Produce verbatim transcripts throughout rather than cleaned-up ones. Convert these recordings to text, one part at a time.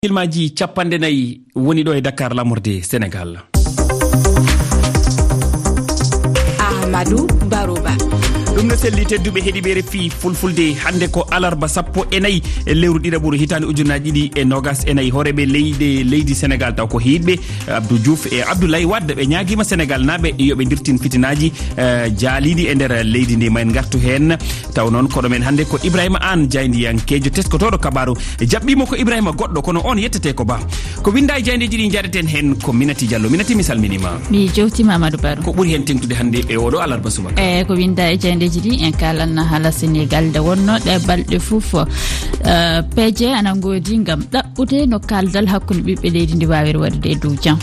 Filmaaji capanɗe nayi woni ɗo e Dakar, laamorde Senegaal. Ahmadou Baroba. Ɗum no selli, tedduɓe heɗiiɓe R F I Fulfulde, hannde ko alarba sappo e nayi e lewru ɗiɗaɓuru hitaande ujunaaji ɗiɗi e noogas e nayi. Hooreeɓe leyɗe, leydi Senegaal, taw ko hiiɗɓe Abdou Diouf e Abdoulaye Wade, ɓe ñaagiima Senegaalnaaɓe yo ɓe ndirtin fitinaaji, eh, jaaliiɗi e nder leydi ndi. Ma en ngartu heen. Taw noon, koɗo men hannde ko Ibrahima Aan, jaayndiyankeejo teskotooɗo kabaaru. Jaɓɓiimo ko Ibrahima goɗɗo, kono oon yettete ko Ba. Ko winnda e jaayndeeji ɗi njaɗeten heen ko Minati Diallo. Minati, mi salminiima. Mi jewtiima, Amadou Baro. Ko ɓuri heen teŋtude hannde e oɗo alarba subaka? Eey, ko winnda e jaayndeeji ɗi, en kaalan hala Senegaal nde wonnoo ɗe balɗe fof. Eh, peeje ana ngoodi ngam ɗaɓɓude no kaaldal hakkunde ɓiɓɓe leydi ndi waawiri waɗude e dow jam.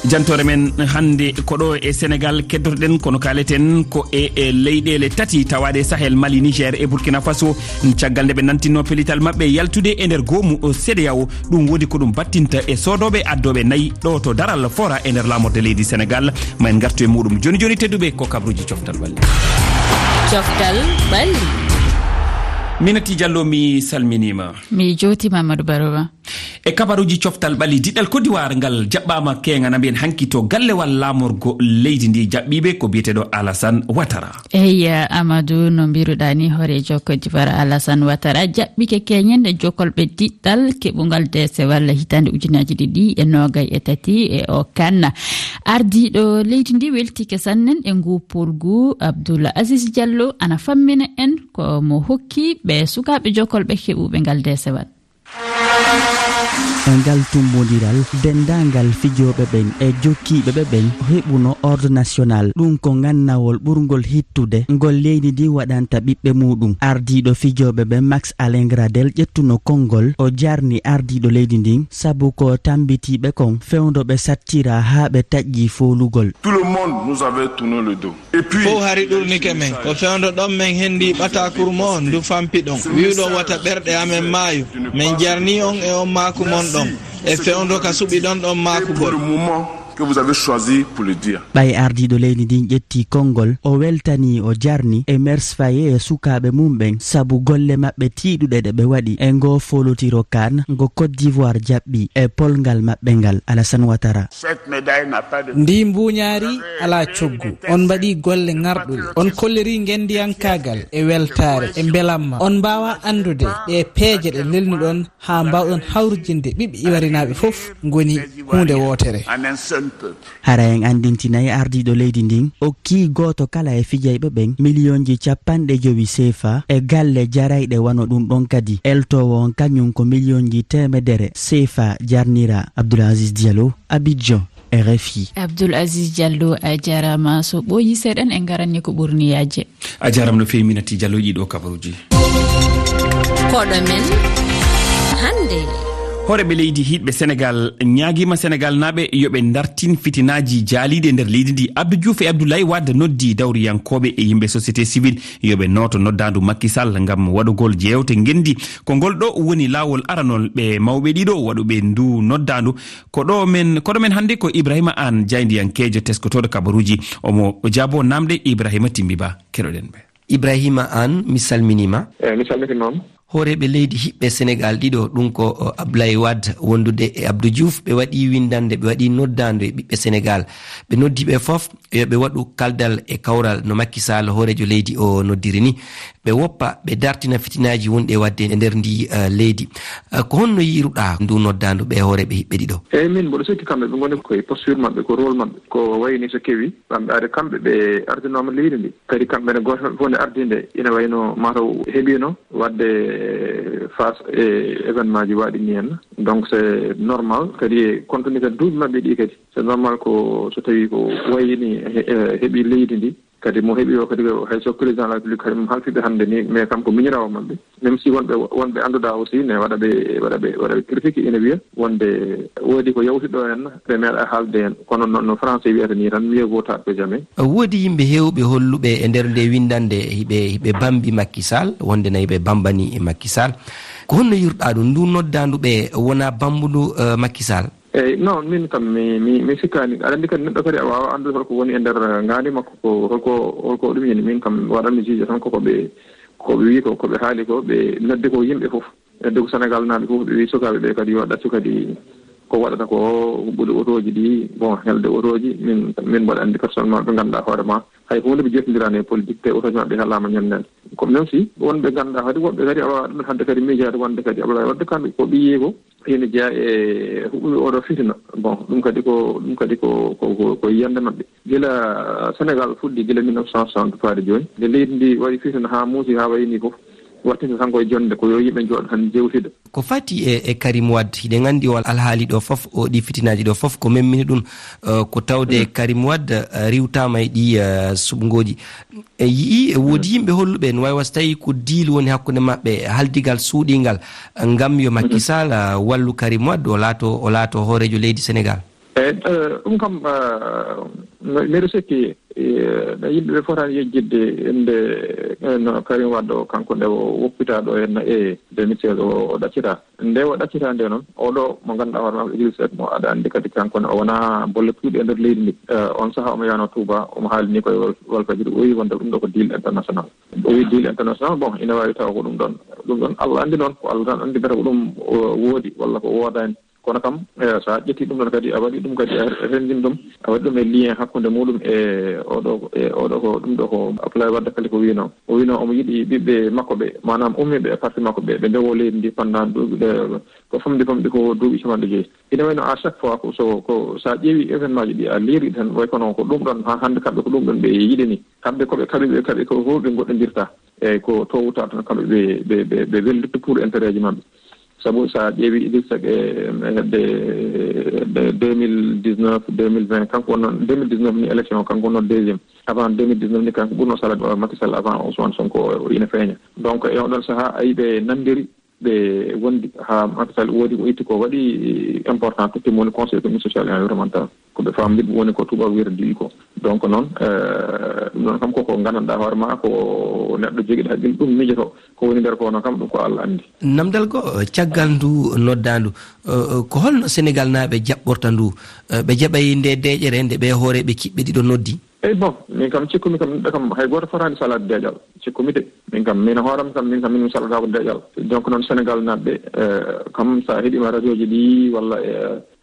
Jantoore men hannde ko ɗo e Senegaal keddotoɗen, kono kaaleten ko e, e leyɗeele tati tawaaɗe e Sahel, Mali, Niger e Burkina Faso. Caggal nde ɓe nantinno pellital maɓɓe yaltude e nder goomu, o, C E D E A O, ɗum woodi ko ɗum battinta e soodooɓe addooɓe nayi ɗo to daral fora e nder laamorde leydi Senegaal. Ma en ngartu e muɗum jooni jooni, tedduɓe, ko kabaruuji coftal ɓalli. Coftal ɓalli. Minati Diallo, mi salminiima. Mi jewtiima, Amadou Baroba. E kabaruuji coftal ɓalli, diɗɗal Côte d'Ivoire ngal jaɓɓaama keeŋa na mbiyen hanki to gallewal laamorgo leydi ndi. Jaɓɓiiɓe ko biyeteeɗo Alassane Ouattara. Eey, Amadou, no mbiruɗaa ni, hooreejo Côte d'Ivoire Alassane Ouattara jaɓɓike keeñen e jokolɓe diɗɗal keɓungal deesewal hitaande ujunaaji ɗiɗi e noogay e tati e o kan. Ardiiɗo leydi ndi weltike sannen e ngu polgu. Abdoul Aziz Diallo ana fammina en ko mo hokki ɓe sukaaɓe jokolɓe keɓuɓe ngal deesewal. E ngal tummbondiral, denndaangal fijooɓe ɓen e jokkiiɓe ɓe ɓen heɓuno Ordre National. Ɗum ko ngannawol ɓurngol hittude ngol leydi ndin waɗanta ɓiɓɓe muuɗum. Ardiiɗo fijooɓe ɓen, Max Alain Gradel, ƴettuno konngol, o jarni ardiiɗo leydi ndin, sabu ko tammbitiiɓe kon fewndo ɓe sattiraa haa ɓe taƴƴii foolugol. Tout le monde nous avait tourné le dos. Fof hari ɗurnike men. Ko fewndo ɗon men henndii ɓataakuru mo'on ndu fampiɗon, wi'uɗon wata ɓerɗe amen maayu. Men jarnii on e on maaku mon ɗon, e fewndo ka suɓiɗon ɗon maakugol. Pour le moment que vous avez choisi pour le dire. Ɓay ardiiɗo leydi ndin ƴettii konngol, o weltanii, o jarni Emerse Faé e sukaaɓe mum ɓen sabu golle maɓɓe tiiɗuɗe ɗe ɓe waɗi e ngoo foolotiro kan ngo Côte d'Ivoire jaɓɓi e polngal maɓɓe ngal. Alassane Ouattara. Cette médaille n'a pas de... Ndii mbuuñaari alaa coggu. On mbaɗii golle ŋarɗuɗe. On kollirii ngenndiyankaagal e weltaare e mbelamma. On mbaawaa anndude ɗee peeje ɗe lelnuɗon haa mbaawɗon hawrijinde ɓiɓɓe iwarinaaɓe fof ngoni huunde wootere. En un seul peuple. Hara en anndintinay ardiiɗo leydi ndin, okkii gooto kala e fijayɓe ɓen miliyonji capanɗe jowi seefa e galle jarayɗe wano ɗum ɗon kadi. Eltoowo on kañum ko miliyonji teemedere seefa jarnira. Abdoul Aziz Diallo, Abidjan, R F I. Abdoul Aziz Diallo, a jaaraama. So ɓooyii seeɗan, en ngaran e ko ɓurni yaajde. A jaaraama no feewi, Minati Diallo, e ɗii ɗoo kabaruuji. Koɗo men hannde. Hooreeɓe leydi hiiɗɓe Senegaal ñaagiima Senegaalnaaɓe yo ɓe ndartin fitinaaji jaaliiɗi e nder leydi ndi. Abdou Diouf e Abdoulaye Wade noddi dawriyankooɓe e yimɓe société civile yo ɓe nooto noddaandu Macky Sall ngam waɗugol jeewte ngenndi. Ko ngol ɗoo woni laawol aranol ɓe mawɓe ɗiɗo waɗuɓe ndu noddaandu. Ko ɗo men, koɗo men hannde ko Ibrahima Aan, jaayndiyankeejo teskotooɗo kabaruuji. Omo jaabo naamɗe Ibrahima Timbi Ba. Keɗoɗen ɓe. Ibrahima Aan, mi salminiima. Eey, mi salmitiima. Hooreeɓe leydi hiɓɓe Senegaal ɗiɗo, ɗum ko, o, Ablaye Wade wondude e Abdou Diouf, ɓe waɗii winndannde, ɓe waɗii noddaandu e ɓiɓɓe Senegaal. Ɓe noddi ɓe fof yo ɓe waɗu kaldal e kawral no Macky Sall, hooreejo leydi o, noddiri ni. Ɓe woppa, ɓe dartina fitinaaji wonɗi e waɗde e nder ndi, eh, leydi. Eh, ko honno yiiruɗaa ndu noddaandu ɓe hooreeɓe hiɓɓe ɗiɗo? Eey, min mboɗo sikki kamɓe ɓe ngoni koye posture maɓɓe, ko rôle maɓɓe. Ko wayni so kewi, kamɓe ari, kamɓe ɓe ardinooma leydi ndi. Kadi kamɓe ne gooto maɓɓe fof nde ardinde, ina wayno mataw heɓino waɗde face e événement ji waɗi ni en. Donc c'est normal. Kadi e compte tenu kadi duuɓi maɓɓe ɗi kadi, c'est normal ko so tawi ko wayni he-, he-, heɓi leydi ndi. Kadi mo heɓi o kadi, hay so président de la République kadi mo halfiɓe hannde ni, mais kam ko miñiraawo maɓɓe. Même si wonɓe, wonɓe annduɗaa aussi ne waɗa ɓe, waɗa ɓe, waɗa ɓe critique, ina wiya wonde woodi ko yawti ɗo en, ɓe meeɗa haalde en. Kono no, no français wiyata ni tan, mieux vaut tard que jamais. Woodi yimɓe heewɓe holluɓe e nder nde winndannde hiɓe, hiɓe bambi Macky Sall, wonde na hiɓe bambani Macky Sall. Ko honno yiiruɗaa ɗum? Ndu noddaandu ɓe wonaa bambundu, eh, Macky Sall? Eey, non, min kam mi, mi, mi sikkaani. Aɗa anndi kadi neɗɗo kadi a waawaa anndude holko woni e nder ngaandi makko, ko holko, holko ɗum yani. Min kam waɗanmi juge tan koko ɓe, ko ɓe wii ko, ko ɓe haali ko, ɓe noddi ko yimɓe fof. Edde ko Senegal naaɓe fof ɓe wi sukaaɓe ɓe kadi yo ɗaccu kadi ko waɗata ko huɓɓude otooji ɗi, bon, helde otooji. Min min mboɗo anndi personnellement ɓe ngannduɗaa hoore ma hay huunde ɓe jottindirani e politique, te otooji maɓɓe halaama ñannde. Ko même si wonɓe ngannduɗaa kadi woɓɓe kadi awa ɗum hannde kadi miijaade wonde kadi Ablaye Wadde kamɓe ko ɓiye ko ene jeyaa e huɓɓude oɗo fitina. Bon, ɗum kadi ko ɗum kadi ko ko ko yiyannde maɓɓe. Gila Senegal fuɗɗi gila mille neuf cent soixante faade jooni, nde leydi ndi waɗi fitina haa muusi haa wayi ni fof, waɗtinde tan koye jonnde ko yo yimɓe njooɗo tan njewtida. Ko fati e e Karim Wade, hiɗen anndi o alhaali ɗo fof, o ɗi fitinaaji ɗo fof ko memmini ɗum. Eh, ko tawde Karim Wade eh, riwtaama e ɗi eh, suɓngooji. E yii e woodi yimɓe holluɓe no wawi wasa tawi ko diil woni hakkunde maɓɓe, haldigal suuɗingal eh, ngam yo Macky Sall eh, wallu Karim Wade o laato o laato hooreejo leydi Senegal. Eyi, eh, ɗum kam eh, mi- miɗo sikki eh, no yimɓe ɓe fotaani yejjitde innde eh, no Karim Wade o, kanko nde o woppita ɗo henna e deux mille seize o o ɗaccita. Nde o ɗaccita nde noon, oɗo mo ngannduɗaa hoore makko Idriss Seck mo aɗa anndi kadi kanko ne o wonaa bolle puuɗe e nder leydi ndi. Eh, on sahaa omo yaano Touba, omo haalini koye Wal- Walfadjri, o wi wonde ɗum ɗo ko deal international. O wi deal international, bon, ina waawi tawa ko ɗum ɗon. Ɗum ɗon Allah anndi noon, ko Allah tan anndi mbiyata ko ɗum o woodi walla ko woodaani. Kono kam eh, so a ƴetti ɗum ɗon kadi a waɗi ɗum kadi a renndin ɗum, a waɗi ɗum e lien hakkunde muɗum e oɗo e oɗo ko ɗum ɗo ko Abdoulaye Wade kadi ko wino o wino omo yiɗi ɓiɓɓe makko ɓe, maanaam ummiɓe e parti makko ɓe ɓe ndewo leydi ndi pendant duuɓi ɗe ko famɗi famɗi ko duuɓi capanɗe joyi. Ina wayno à chaque fois ko so ko so a ƴeewi événement ji ɗi a liiri tan way kono ko ɗum ɗon ha hannde kamɓe ko ɗum ɗon ɓe yiɗani kamɓe koɓe kaɓi ɓe kaɓi ko fof ɓe goɗɗondirta. Eyyi ko tôt ou tard tan kamɓe ɓe ɓe ɓe ɓe wellitto pour intérêt ji maɓɓe. Sabu so a ƴeewi Idrissa Seck e hedde hedde deux mille dix neuf deux mille vingt kanko wonno deux mille dix neuf ni élection o kanko wonno deuxiéme. Avant deux mille dix neuf ni kanko ɓurno salade Macky Sall avant Ousmane Sonko o ina feeña. Donc e oɗon saha ayi ɓe nanndiri ɓe wondi ha Macky Sall woodi ko itti ko waɗi important totti mo woni conseil économique social et environnemental. Ko ɓe famɗi ɗum woni ko tubaab wiyata diwi ko. Donc noon eh, ɗum ɗon kam koko nganndanɗaa hoore ma ko neɗɗo jogiiɗo haqqille ɗum miijoto. Ko woni nder ko noon kam ɗum ko Allah anndi. Namdal goo caggal ndu noddaandu, eh, ko holno Senegal naaɓe jaɓɓorta ndu? Eh, ɓe jaɓay nde deeƴere nde ɓe hooreeɓe kiɓɓe ɗiɗo noddi? Eyi bon, min kam cikkumi kam neɗɗo kam hay gooto fotaani salaade deeƴal. Cikkumi de, min kam min hooram kam min kam min mi salataako deeƴal. Donc noon Senegal naaɓe eh, kam so a heɗiima radio ji ɗi walla e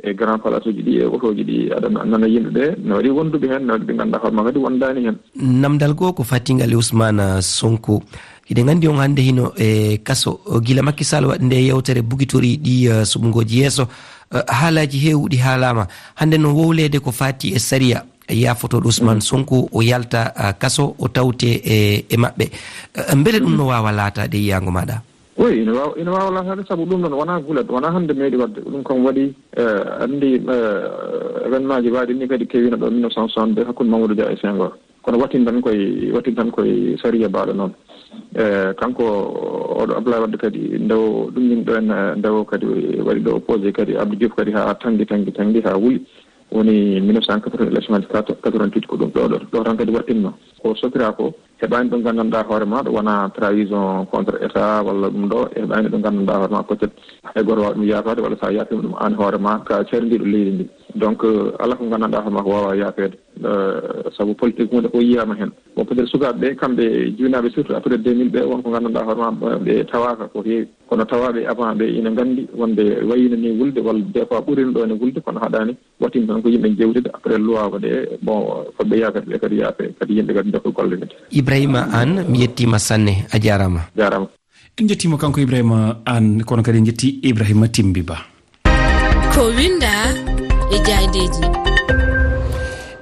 e grand place uji ɗi e otooji ɗi aɗa nana yimɓe ɓe no waɗi wonduɓe heen no waɗi ɓe ngannduɗaa hoore ma kadi wondaani heen. Namdal goo ko fatingal e Ousmane Sonko. Hiɗen anndi on hannde hino e kaso gila Macky Sall waɗi nde yewtere bugitori ɗi eh, suɓngooji yeeso. Eh, haalaaji heewuɗi haalaama hannde no wowleede ko faati e sariya. Yaafotooɗo Ousmane Sonko o yalta eh, kaso o tawte e e maɓɓe. Eh, mbele ɗum no waawa laataade yiyaango maaɗa? Oui, ina waawa ina waawa laataade sabu ɗum ɗon wonaa gulat wonaa hannde meeɗi waɗde ɗum kam waɗi eh, anndi eh, événement ji waaɗi ni kadi kewiino ɗo mille neuf cent soixante deux hakkunde Mamadou Dia e Senghor. Kono waɗtin tan koye waɗtin tan koye sariya baaɗo noon. Eh, kanko oɗo Abdoulaye Wade kadi ndewo ɗum min ɗo en eh, ndewo kadi waɗi ɗo opposé kadi Abdou Diouf kadi haa tanngi tanngi tanngi haa wuli. Woni mille neuf cent quatre-vingts élection aji quatre-vingt-huit ko ɗum ɗo ɗo ɗo tan kadi waɗtinno. Ko sokira ko heɓaani ɗo nganndanɗaa hoore ma ɗo wona trahison contre état walla ɗum ɗo heɓaani ɗo nganndanɗaa hoore ma peut-être hay gooto waawa ɗum yaafaade walla so a yaafiima ɗum aan hoore ma ka carindiiɗo leydi ndi. Donc eh, alaa ko nganndanɗaa hoore ma ko waawaa yaafeede. Eh, sabu politique huunde fof yiyaama heen. Bon peut être sukaaɓe ɓe kamɓe jibinaaɓe surtout après deux mille ɓe won ko nganndanɗaa hoore ma ɓe tawaaka ko heewi kono tawaaɓe avant ɓe ina nganndi wonde wayino ni wulde walla des fois ɓurino ɗo ne wulde kono haɗaani. Waɗtin tan ko yimɓe jewtida après luwaago ɗe bon fotɓe yaafeede ɓe kadi yaafe kadi yimɓe kadi ndoka golle men. Ibrahima Anne, mi yettiima sanne, a jaaraama. Jaaraama. En njettiima kanko Ibrahima Anne kono kadi en njetti Ibrahima Timbi Ba. Ko winnda e jaayndeeji.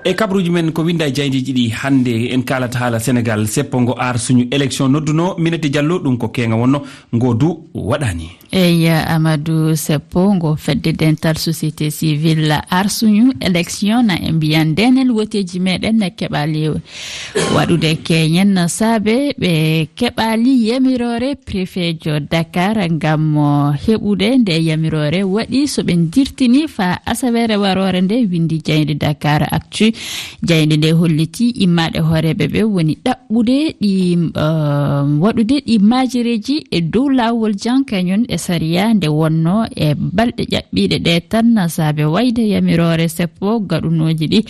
E kabaruuji men ko winnda e jaayndeeji ɗi hannde en kaalata haala Senegal seppo ngo aar suñu élection nodduno Minete Diallo ɗum ko keeŋa wonno ngo du waɗaani. Eyi Amadou Seppo ngo fedde dental société civile arsuñu élection na e mbiyan ndenen woteeji meɗen ne keɓali waɗude keñen no saabe ɓe keɓali yamiroore préfetjo Dakar ngam heɓude nde yamiroore waɗi so ɓe dirtini fa asaweere waroore nde windi jayde Dakar Actu. Jayde nde holliti immaɗe hooreɓe ɓe woni ɗaɓɓude ɗi waɗude ɗi maajereeji e dow laawol jan kañum e sariya nde wonnoo e balɗe ƴaɓɓiiɗe ɗe tan, saabe wayde yamiroore seppo gaɗunooji ɗi.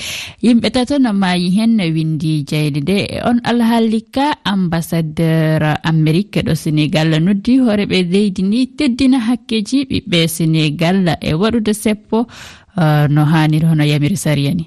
Yimɓe tato no maayi heen, no winndi jayde nde. E on alhaali ka, ambassadeur Amerique ɗo Senegal noddi hooreeɓe leydi ndi teddina hakkeeji ɓiɓɓe Senegal e waɗude seppo, eh, no haaniri hono yamiri sariya ni.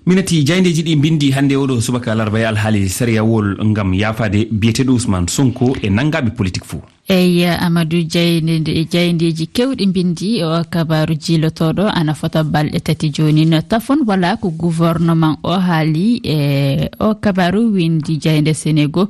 Minati jayndeeji ɗi mbinndi hannde oɗo subaka alarba e alhaali sariyawol ngam yaafaade biyeteeɗo Ousmane Sonko e nanngaaɓe politik fof. Eyi, Amadou, jaynde, jayndeeji keewɗi mbinndi e o kabaaru jiilotooɗo ana fota balɗe tati jooni. No tafon wala ko gouvernement o haali e o kabaaru, winndi jaynde Senegal.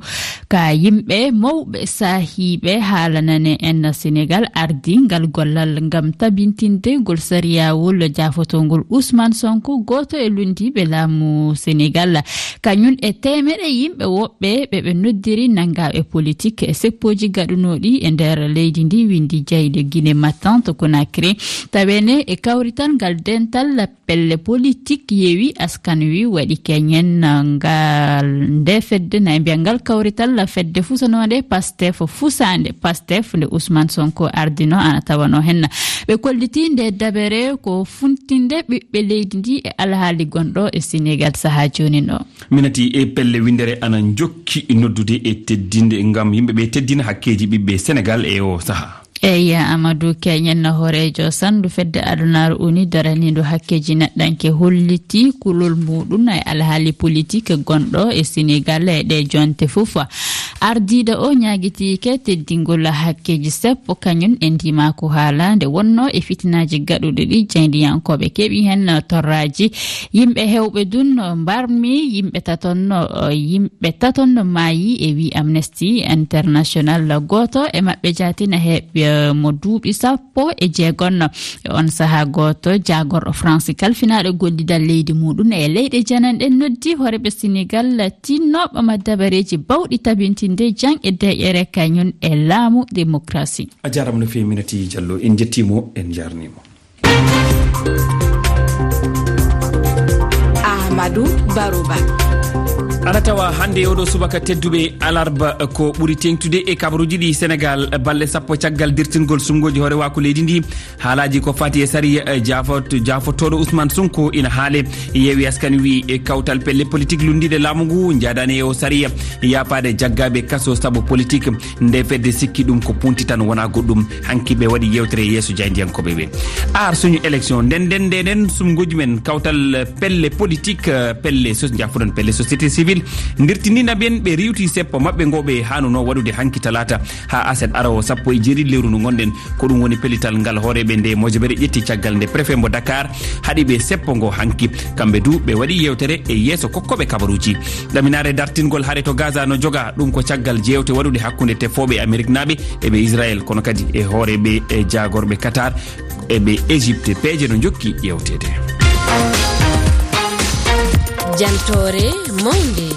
Ka yimɓe mawɓe saahiiɓe haalanane en Senegal ardi ngal gollal ngam tabintinde ngol sariyawol jaafotoongol Ousmane Sonko, gooto e lunndiiɓe laamu Senegal. Kañum e teemeɗe yimɓe woɓɓe ɓe ɓe noddiri nanngaaɓe politik e seppooji gaɗunooɗi e nder leydi ndi, winndi jayde Guinée Matin to Conakry. Taweene e kawrital ngal dental pelle politik yewi askan wi waɗi keñen ngal nde fedde, na e mbiya ngal kawrital fedde fusanode Pastef, fusaande Pastef nde Ousmane Sonko ardino, ana tawano henna. Ɓe kolliti nde dabere ko funtinde ɓiɓɓe leydi ndi e alhaali gonɗo e Senegal sahaa jooni ɗo. Minati e pelle winndere ana njokki noddude e teddinde ngam yimɓe ɓe teddina hakkeeji ɓiɓɓe Senegal e o sahaa. Eyi, Amadou, keñen no hooreejo sandu fedde adunaaru uni daraniiɗo hakkeeji neɗɗanke holliti kulol muɗum e alhaali politik gonɗo e Senegal e ɗe jonte fof. Ardiiɗo o ñaagitiike teddingol hakkeeji seppo kañum e ndimaako haala nde wonno e fitinaaji gaɗuɗi ɗi, jaayndiyankooɓe keɓi heen torraaji. Yimɓe heewɓe dun mbarmi, yimɓe taton no, yimɓe taton no maayi e wi Amnesty International. Gooto e maɓɓe jaati na heɓi mo duuɓi sappo e jeegom. E on sahaa gooto jaagorɗo France kalfinaaɗo gollidal leydi muɗum e leyɗe jananɗe noddi hooreeɓe Senegal tinnooɓe ma dabareeji bawɗi tabintinde jang e deƴƴere kañum e laamu démocratie. A jaaraama no feewi, Minati Jallo. En njettii mo, en njaarnii mo. Amadou Barouba. Ana tawa hannde e oɗo subaka tedduɓe alarba ko ɓuri teeŋtude e kabaruuji ɗi Senegal, balɗe sappo caggal dirtingol suɓngooji hoorewaaku leydi ndi. Haalaaji ko fati e sariya, eh, jaafot-, jaafotooɗo Ousmane Sonko ina haale. Yeewi Askan wi e kawtal pelle politik lunndiiɗe laamu ngu njaadaani e o sariya. Yaafaade jaggaaɓe kaso sabu politik. Nde fedde sikki ɗum ko punti tan, wonaa goɗɗum. Hanki ɓe waɗi yeewtere yeeso jaayndiyankooɓe ɓe. Aar suñu élection, nden, nden, nden, nden, sumnguuji men, kawtal, eh, pelle politik, eh, pelle sos-, jaafuɗon, pelle société civile, ndirtinina ɓen ɓe riiwti seppo maɓɓe ngo ɓe haanunoo waɗude hanki talaata haa aset arowo sappo e jeeɗiɗi lewru ndu ngonɗen. Ko ɗum woni pellital ngal hooreeɓe nde mojobere ƴetti caggal nde préfet mbo Dakar haɗi ɓe seppo ngo hanki. Kamɓe du ɓe waɗi yeewtere e yeeso kokkooɓe kabaruuji. Ɗaminaare dartingol hare to Gaza no joga, ɗum ko caggal jeewte waɗuɗe hakkunde tefooɓe Ameriknaaɓe e ɓe Israel, kono kadi e hooreeɓe e jaagorɓe Qatar e ɓe Égypte. Peeje no njokki ƴeewteede. Jantoore mawnde.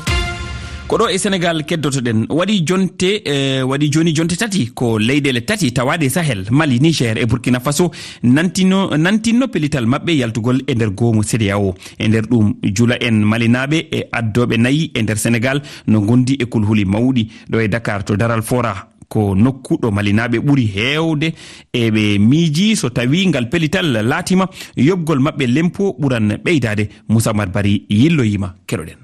Ko ɗo e Senegal keddotoɗen. Waɗi jonte, eh, waɗi jooni jonte tati ko leyɗeele tati tawaaɗe e Sahel, Mali, Niger e Burkina Faso, nantino, nantinno pellital maɓɓe yaltugol e nder goomu CEDEAO. E nder ɗum, jula en malinaaɓe e addooɓe nayi e nder Senegal no ngondi e kulhuli mawɗi. Ɗo e Dakar to Daral Fora, ko nokku ɗo malinaaɓe ɓuri heewde, e ɓe miiji so tawi ngal pellital laatima, yoɓgol maɓɓe lempo ɓuran ɓeydaade. Moussa Oumar Bari yilloyima, keɗoɗen.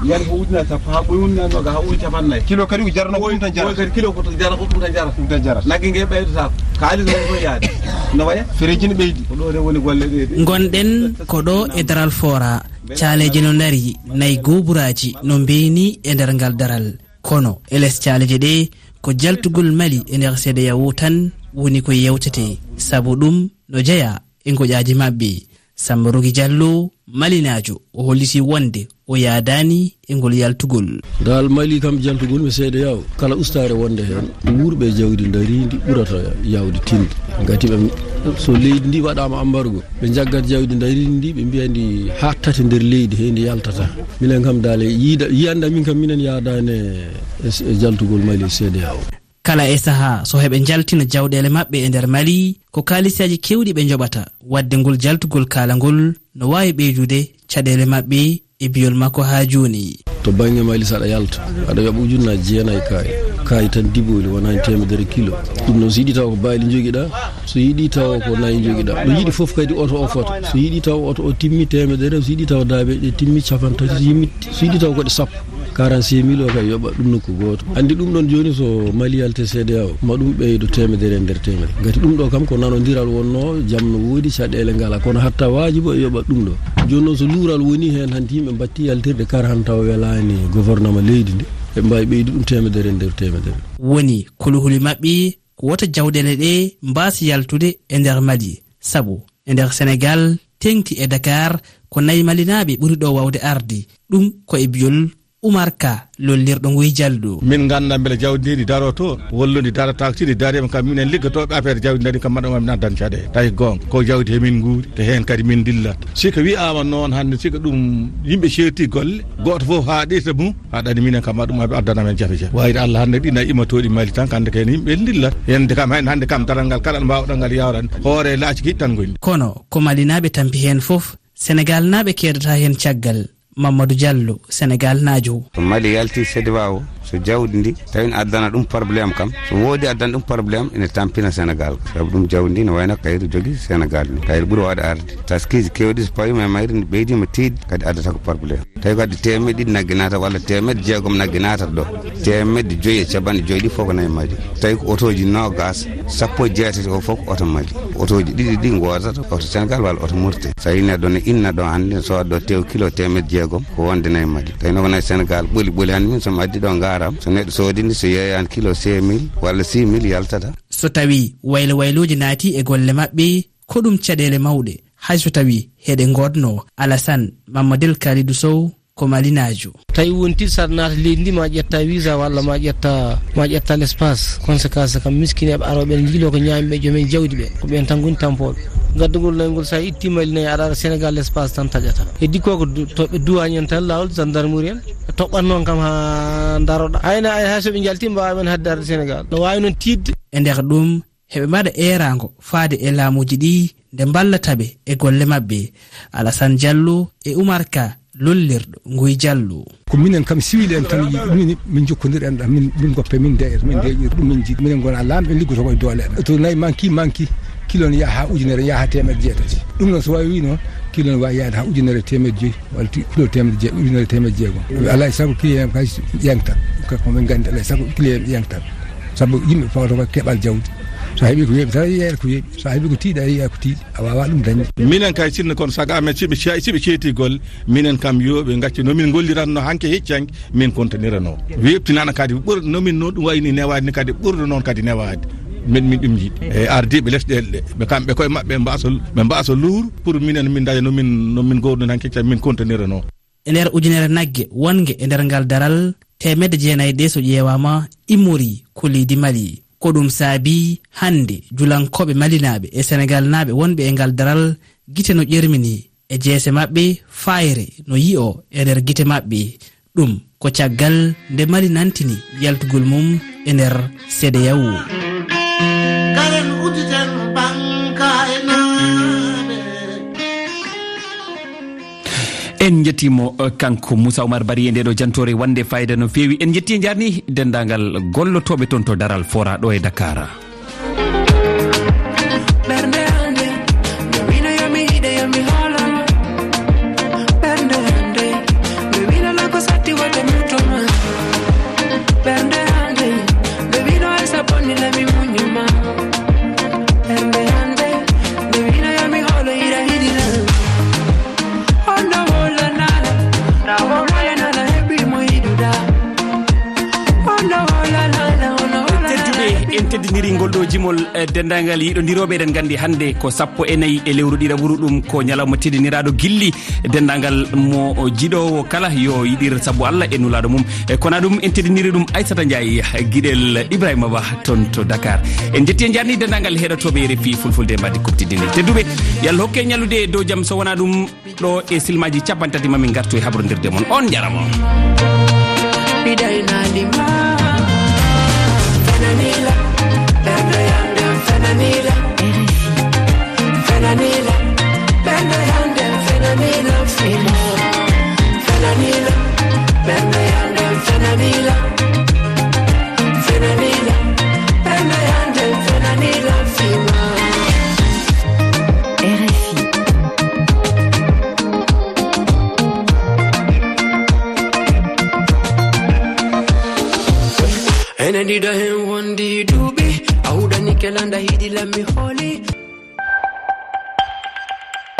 Yan ko ujunaaje sappo haa ɓoy, ujunaaje noga haa ɓoy capannayyi. Kilo kadi ko jarano ko ɗum tan jarata. Kadi kilo ko to jara, ko ɗum tan jarata. Ɗum tan jarata. Nagge nge ɓeydata ko. Kaalis woni ko yaade. No waya? Fereji ne ɓeydi. Ko ɗo de woni golle ɗe de. Ngonɗen ko ɗo e Daral Fora. Caaleeje no ndari, nayi gooburaaji no mbeeni e nder ngal daral. Kono e les caaleeje ɗe, ko jaltugol Mali e nder CEDEAO tan woni ko yewtete, sabu ɗum no jeyaa e ngoƴaaji maɓɓe. Samba Rogi Diallo, Malinaajo, o holliti wonde o yaadaani e ngol yaltugol. Ngal Mali kam, jaltugol mi CEDEAO, kala ustaare wonde heen, wuurɓe jawdi ndariindi ɓurata yaawde tinde. Ngati ɓe, so leydi ndi waɗaama ambargo, ɓe njaggat jawdi ndariindi ndi, ɓe mbiya ndi haaɗtate nder leydi he ndi yaltata. Minen kam daal e yiida, yiyannde min kam, minen yaadaani e, e jaltugol Mali CEDEAO. Kala e sahaa, so heɓe njaltina jawɗeele maɓɓe e nder Mali, ko kaalisaaji keewɗi ɓe njoɓata. Waɗde ngol jaltugol kaalangol no waawi ɓeydude caɗeele maɓɓe, e biyol makko haa jooni. To bannge Mali, so aɗa yalta, aɗa yoɓa ujunnaaji jeenayi kaye. Kaye tan dibooli, wonani teemedere kilo. Ɗum noon, so yiɗi taw ko baali njogiɗa, so yiɗi taw ko nayi njogiɗa. Ɗo yiɗi fof kadi oto o fota. So yiɗi taw oto o timmi teemedere, so yiɗi taw daabe ɗe timmi capanɗe tati, so yimmi, so yiɗi taw ko ɗe sappo. Quarante-cinq mille o kay yoɓa ɗum nokku gooto. Anndi ɗum ɗon jooni so Mali yalti C D A O, ma ɗum ɓeydo teemedere e nder teemedere. Ngati ɗum ɗo kam ko nanondiral wonno, jam no woodi, caɗeele ngala. Kono hatta waajibo e yoɓa ɗum ɗo. Jooni noon so luural woni heen, hanti yimɓe mbatti yaltirde kar han taw welaani gouvernement leydi ndi, eɓe mbaawi ɓeydu ɗum teemedere e nder teemedere. Woni kuluhuli maɓɓe ko wota jawɗeele ɗe mbaas yaltude e nder Mali. Sabu e nder Senegaal, teŋti e Dakar, ko nayi Malinaaɓe ɓuri ɗo waawde arde. Ɗum ko e biyol Umar Ka, lollirɗo Nguy Jallo. Min ngannda mbele jawdi ndi daroto, walla ndi darataako. Si ndi dariima kam, minen liggotooɓe affaire jawdi ndari kam, maɗa min addan caɗeele. Tawi goonga, ko jawdi he min nguuri, te heen kadi min dillat. Si ko wiyaama noon hannde, si ko ɗum yimɓe ceerti golle, gooto fof haaɗirta mum, aɗa anndi minen kam, maɗum addana men jafe jafe. Wayde Allah hannde ɗi nayi immotooɗi Mali tan, hannde kay yimɓe dillat. Hannde kam, hannde kam daral ngal kala mbaawɗo ngal yawran, hoore laaci kiɗi tan ngoni. Kono ko Malinaaɓe tampi heen fof, Senegaalnaaɓe keedata heen caggal. Mamadou Diallo, Senegaalnaajo. So Mali yalti C D A O, so jawdi ndi tawi ne addana ɗum problème kam, so woodi addana ɗum problème, ene tampina Senegaal. Sabu ɗum jawdi ndi ne wayno kayri jogi Senegaal ni. Kayri ɓuri waawde arde. Taskiiji keewɗi so pawiima e mayri, ndi ɓeydiima tiiɗde, kadi addata ko problème. Tawi kadi teemeɗɗe ɗiɗi nagge naata walla teemeɗɗe jeegom nagge naatata ɗo. Teemeɗɗe joyi e capanɗe joyi ɗi fof ko nayi Mali. Tawi ko otooji noogaas, sappo e jeetati o fof ko oto Mali. Otooji ɗiɗi ɗi ngoodata oto Senegaal walla oto Mauritanie. So tawi neɗɗo ne inna ɗo hannde, ne sooda ɗo tew kilo teemeɗɗe jeegom, ko wonde nayi Mali. Tawi no ko nayi Senegaal ɓoli ɓoli hannde min, so mi addi ɗo ngaaraam, so neɗɗo soodi ndi, so yeeyani kilo cinq mille walla six mille yaltata. So tawi waylo waylooji naati e golle maɓɓe, ko ɗum caɗeele mawɗe, hay so tawi heɗe ngoodno. Alassane Mamadou Kalidou Sow, ko Malinaajo. Tawi wonti saɗa naata leydi ndi, ma ƴetta visa walla ma ƴetta, ma ƴetta l'espace. Conséquence kam, miskineeɓe arooɓe ene njiloo ko ñaami ɓe, joomen jawdi ɓe. Ko ɓeen tan ngoni tampooɓe. Gaddugol nayi ngol, so a itti Mali nayi, aɗa ara Senegaal, l'espace tan taƴata. Heddi ko, ko du-, to ɓe duwaañi en tan laawol, gendarmerie en. Ɓe toɓɓat noon kam haa ndaroɗa. Hayna, hay so ɓe njalti, mbaawa men hadde arde Senegaal. No waawi noon tiiɗde. E nder ɗum, heɓe mbaɗa eeraango faade e laamuuji ɗi nde mballata ɓe e golle maɓɓe. Alassane Diallo e Oumar Ka, lollirɗo Nguy Diallo. Ko minen kam siwil en tan yiɗi ɗum, min, min njokkondir en ɗam, min, min goppe, min ndeya, min ndeya ɗum min jiɗi. Minen ngona laamɓe, en liggoto koye doole amen. To nayi manki, manki, kilo ne yaha haa ujunere, yaha haa teemeɗɗe jeetati. Ɗum noon so waawi noon, kilo ne waawi yaade haa ujunere e teemeɗɗe joyi. Walla ti-, kilo teemedde je-, ujunere teemedde jeegom. Alaa e sago kilo en kay yangta. Ko min nganndi, alaa e sago kilo en yangta. Sabu yimɓe fawata ko keɓal jawdi. So a heɓi ko weeɓi tan, a yiya ko weeɓi. So a heɓi ko tiiɗi, a yiya ko tiiɗi. A waawaa ɗum dañde. Minen kay sinno kono sago amen, siɓe ce-, siɓe ceeti golle, minen kam yo ɓe ngaccu no min ngolliratno hanki hecci hanki, min kontinirano. Weeɓtinana kadi ɓur-, no min no ɗum wayni newaade ni kadi ɓurɗo noon kadi newaade. Min, min ɗum jiɗi. E ardiiɓe lesɗeele ɗe, ɓe kamɓe koye maɓɓe ɓe mbaaso, ɓe mbaaso luur pour minen min daña no min, no min ngowno hanki hecci min kontinirano. E nder ujunere nagge wonnge e nder ngal daral, teemedde jeenayi ɗe, so ƴeewaama, immorii ko leydi Mali. Ko ɗum saabii hannde julankooɓe malinaaɓe e senegaalnaaɓe wonɓe e ngal daral, gite no ƴermini e jeese maɓɓe, fayre no yi'o e nder gite maɓɓe. Ɗum ko caggal nde Mali nantini yaltugol mum e nder C D A O. Karen udditen banka e naane. En njettiimo, eh, kanko Moussa Oumar Barry e ndeeɗo jantoore wonde fayida no feewi. En njetti e njarni denndaangal gollotooɓe toon to Daral Fora ɗo e Dakar. Ɓernde hannde, no wino yo mi yiɗe, yo mi hoolo. Ɓernde hannde, no wino na ko satti wonde muto ma. Ɓernde hannde, no wino ay sa bonni na mi muññu ma. Ɓernde hannde, no wino yo mi hoolo ira hiɗi na. Hono holanana, na holanana heɓi mo yiɗuɗa. Hono holanana, hono holanana. Tedduɓe, en teddiniri ngol ɗo jimol, eh, denndaangal yiɗondirooɓe. Eɗen nganndi hannde ko sappo e nayi e lewru ɗiɗaɓuru, ɗum ko ñalawma teddiniraaɗo gilli. Denndaangal mo jiɗoowo kala yo yiɗir sabu Allah e nulaaɗo mum. E kono ɗum en teddiniri ɗum Aissata Ndiaye, giɗel Ibrahima Ba toon to Dakar. En njetti e njarni denndaangal heɗotooɓe R F I Fulfulde e mbaadi kuɓtidini. Tedduɓe, yo Allah hokke ñallude e dow jam, so wonaa ɗum ɗo e silmaaji cappanɗe tati mamin ngartu e habrondirde mon. On njarama. Bidai na lima. Fenanila. Benda yande fenanila. Fenanila. Benda yande fenanila. Fenanila. Benda Ndiɗo hen wondi duuɓi, a huɗani kelanda hiɗi lammi hooli.